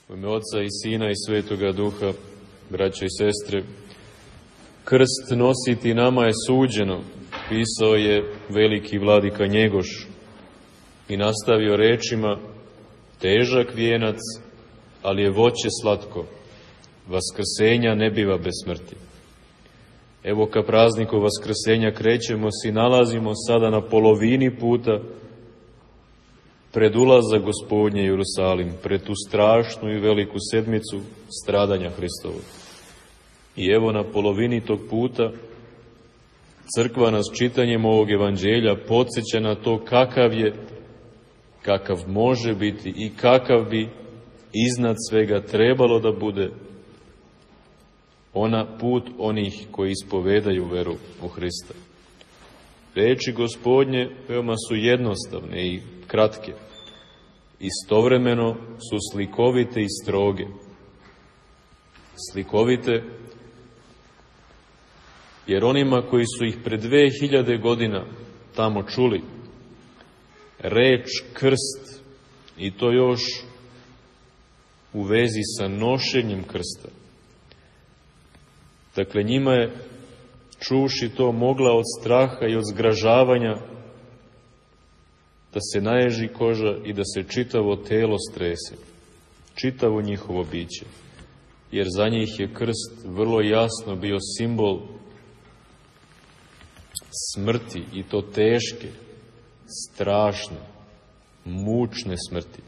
U ime Oca i Sina i Svetoga Duha, braćo i sestre, krst nositi nama je suđeno, pisao je veliki vladika Njegoš i nastavio rečima: težak vijenac, ali je voće slatko, vaskrsenja ne biva bez smrti. Evo ka prazniku vaskrsenja krećemo se i nalazimo sada na polovini puta pred ulazak Gospodnje u Jerusalim, pred tu strašnu i veliku sedmicu stradanja Hristovog. I evo na polovini tog puta crkva nas čitanjem ovog evanđelja podsjeća na to kakav može biti i kakav bi iznad svega trebalo da bude put onih koji ispovedaju veru u Hrista. Reči Gospodnje veoma su jednostavne i kratke. Istovremeno su slikovite i stroge. Slikovite jer onima koji su ih pred 2000 godina tamo čuli, reč krst, i to još u vezi sa nošenjem krsta. Dakle, njima je, čuši to, mogla od straha i od zgražavanja da se naježi koža i da se čitavo telo strese, čitavo njihovo biće, jer za njih je krst vrlo jasno bio simbol smrti, i to teške, strašne, mučne smrti,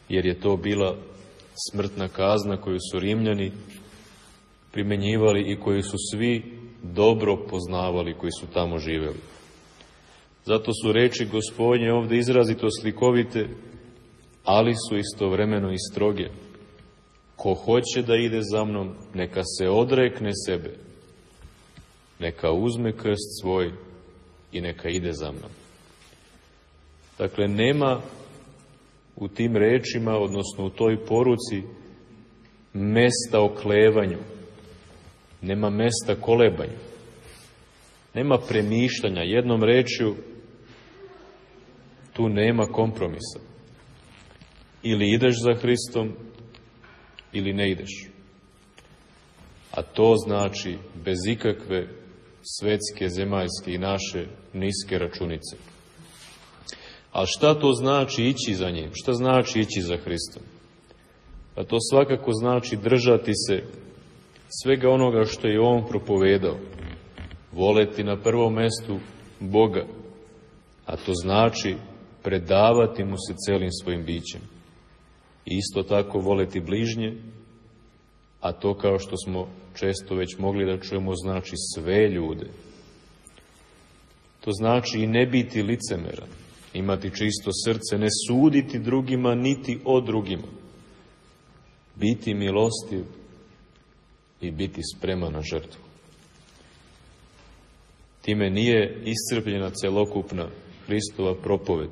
jer je to bila smrtna kazna koju su Rimljani primenjivali i koju su svi dobro poznavali koji su tamo živeli. Zato su reči Gospodnje ovdje izrazito slikovite, ali su istovremeno i stroge. Ko hoće da ide za mnom, neka se odrekne sebe, neka uzme krst svoj i neka ide za mnom. Dakle, nema u tim rečima, odnosno u toj poruci, mesta oklevanju, nema mesta kolebanju, nema premišljanja. Jednom rečju, tu nema kompromisa. Ili ideš za Hristom, ili ne ideš. A to znači bez ikakve svetske, zemaljske i naše niske računice. A šta to znači ići za njim? Šta znači ići za Hristom? A to svakako znači držati se svega onoga što je on propovedao. Voleti na prvom mestu Boga, a to znači predavati mu se celim svojim bićem. Isto tako voleti bližnje, a to, kao što smo često već mogli da čujemo, znači sve ljude. To znači i ne biti licemeran, imati čisto srce, ne suditi drugima niti o drugima, biti milostiv i biti spreman na žrtvu. Time nije iscrpljena celokupna Hristova propoved.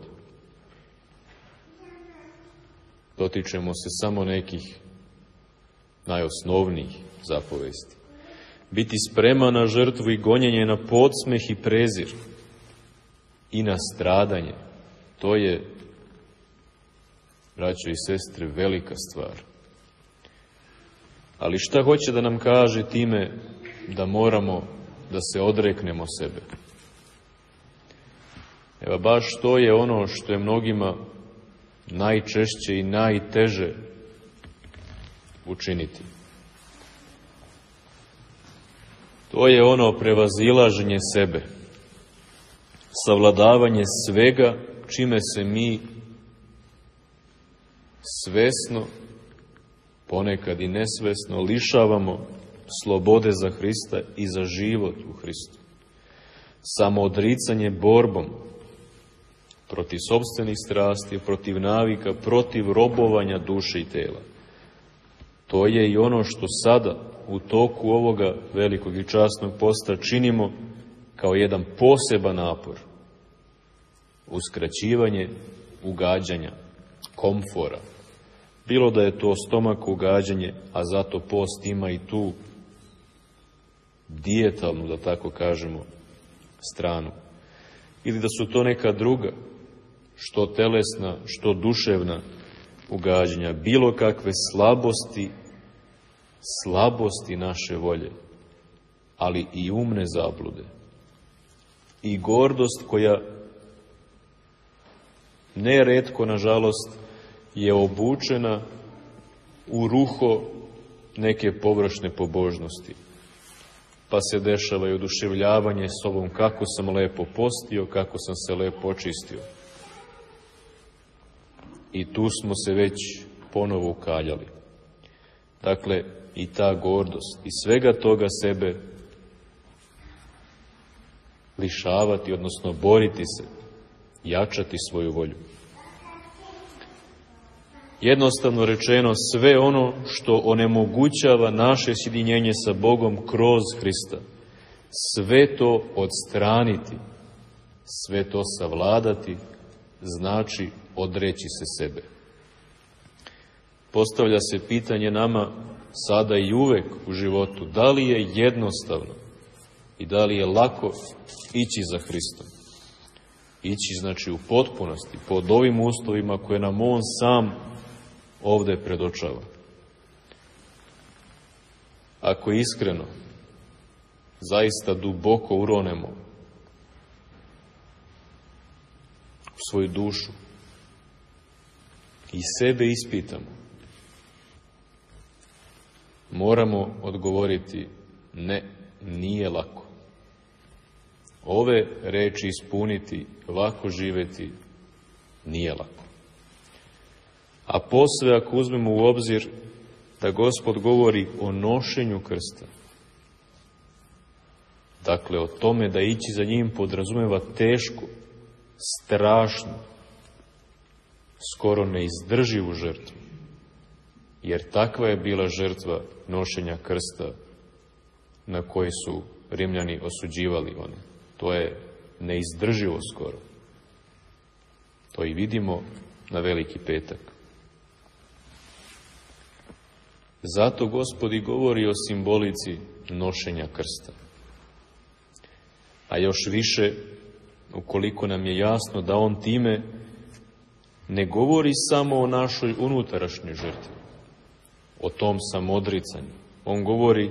Dotičemo se samo nekih najosnovnijih zapovesti. Biti spreman na žrtvu i gonjenje, na podsmeh i prezir i na stradanje. To je, braćo i sestre, velika stvar. Ali šta hoće da nam kaže time da moramo da se odreknemo sebe? Evo, baš to je ono što je mnogima najčešće i najteže učiniti. To je ono prevazilaženje sebe, savladavanje svega čime se mi svesno, ponekad i nesvesno, lišavamo slobode za Hrista i za život u Hristu. Samoodricanje borbom protiv sopstvenih strasti, protiv navika, protiv robovanja duše i tela. To je i ono što sada u toku ovoga velikog i časnog posta činimo kao jedan poseban napor. Uskraćivanje ugađanja, komfora. Bilo da je to stomak ugađanje, a zato post ima i tu dijetalnu, da tako kažemo, stranu. Ili da su to neka druga, što telesna, što duševna, ugađanja, bilo kakve slabosti naše volje, ali i umne zablude. I gordost koja neretko, nažalost, je obučena u ruho neke površne pobožnosti. Pa se dešava i oduševljavanje sobom kako sam lepo postio, kako sam se lepo očistio. I tu smo se već ponovo ukaljali. Dakle, i ta gordost, i svega toga sebe lišavati, odnosno boriti se, jačati svoju volju. Jednostavno rečeno, sve ono što onemogućava naše sjedinjenje sa Bogom kroz Hrista, sve to odstraniti, sve to savladati, znači odreći se sebe. Postavlja se pitanje nama sada i uvek u životu, da li je jednostavno i da li je lako ići za Hristom. Ići znači u potpunosti, pod ovim uslovima koje nam On sam ovde predočava. Ako iskreno, zaista duboko uronemo u svoju dušu i sebe ispitamo, moramo odgovoriti ne, nije lako. Ove reči ispuniti, lako živeti, nije lako. A posve ako uzmemo u obzir da Gospod govori o nošenju krsta, dakle o tome da ići za njim podrazumeva tešku, strašnu, skoro neizdrživu žrtvu, jer takva je bila žrtva nošenja krsta na koji su Rimljani osuđivali one. To je neizdrživo skoro. To i vidimo na Veliki petak. Zato Gospod i govori o simbolici nošenja krsta. A još više, ukoliko nam je jasno da On time ne govori samo o našoj unutrašnjoj žrtvi, o tom samodricanju. On govori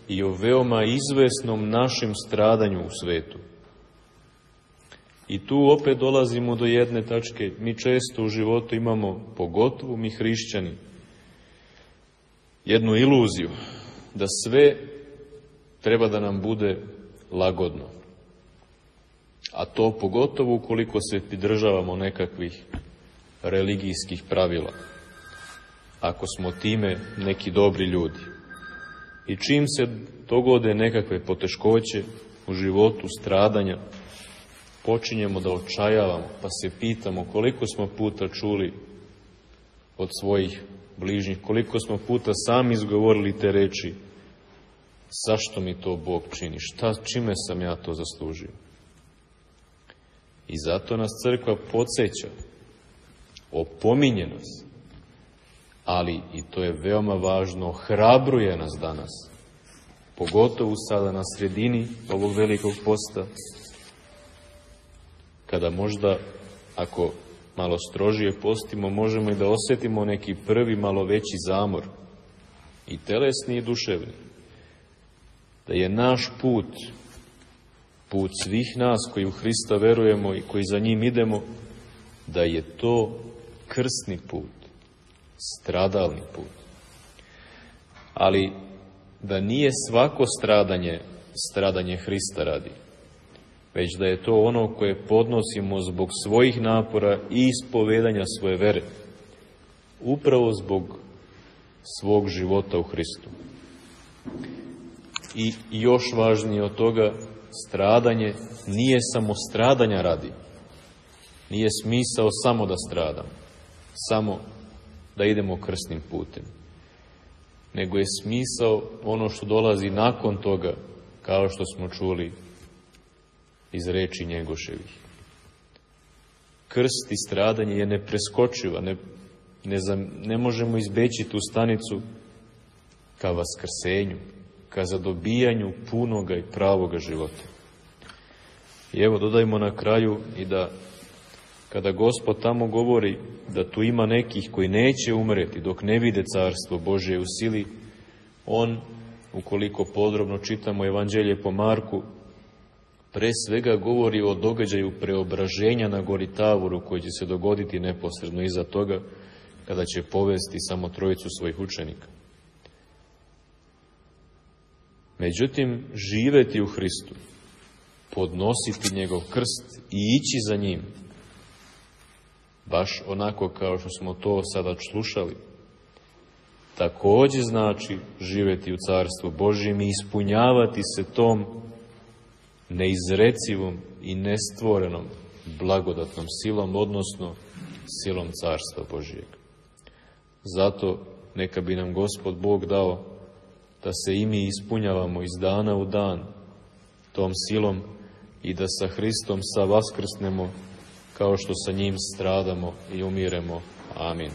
i o veoma izvesnom našem stradanju u svetu. I tu opet dolazimo do jedne tačke. Mi često u životu imamo, pogotovo mi hrišćani, jednu iluziju da sve treba da nam bude lagodno. A to pogotovo ukoliko se pridržavamo nekakvih religijskih pravila. Ako smo time neki dobri ljudi. I čim se dogode nekakve poteškoće u životu, stradanja, počinjemo da očajavamo, pa se pitamo koliko smo puta čuli od svojih bližnjih, koliko smo puta sami izgovorili te reči, zašto mi to Bog čini, čime sam ja to zaslužio. I zato nas crkva podsjeća, opominje nas, ali, i to je veoma važno, ohrabruje nas danas, pogotovo sada na sredini ovog velikog posta, kada možda, ako malo strožije postimo, možemo i da osjetimo neki prvi malo veći zamor, i telesni i duševni. Da je naš put svih nas koji u Hrista verujemo i koji za njim idemo, da je to krsni put, stradalni put. Ali da nije svako stradanje Hrista radi, već da je to ono koje podnosimo zbog svojih napora i ispovedanja svoje vere, upravo zbog svog života u Hristu. I još važnije od toga, stradanje nije samo stradanja radi. Nije smisao samo da stradamo, samo da idemo krsnim putem. Nego je smisao ono što dolazi nakon toga, kao što smo čuli iz reči Njegoševih. Krst i stradanje je nepreskočiva, ne možemo izbeći tu stanicu ka vaskrsenju, ka zadobijanju punoga i pravoga života. I evo, dodajmo na kraju i da kada Gospod tamo govori da tu ima nekih koji neće umreti dok ne vide carstvo Božje u sili, on, ukoliko podrobno čitamo Evanđelje po Marku, pre svega govori o događaju preobraženja na gori Tavoru koji će se dogoditi neposredno iza toga, kada će povesti samo trojicu svojih učenika. Međutim, živeti u Hristu, podnositi njegov krst i ići za njim, baš onako kao što smo to sada slušali, također znači živeti u Carstvu Božjem i ispunjavati se tom neizrecivom i nestvorenom blagodatnom silom, odnosno silom Carstva Božjeg. Zato neka bi nam Gospod Bog dao da se i mi ispunjavamo iz dana u dan tom silom i da sa Hristom vaskrsnemo kao što sa njim stradamo i umiremo. Amin.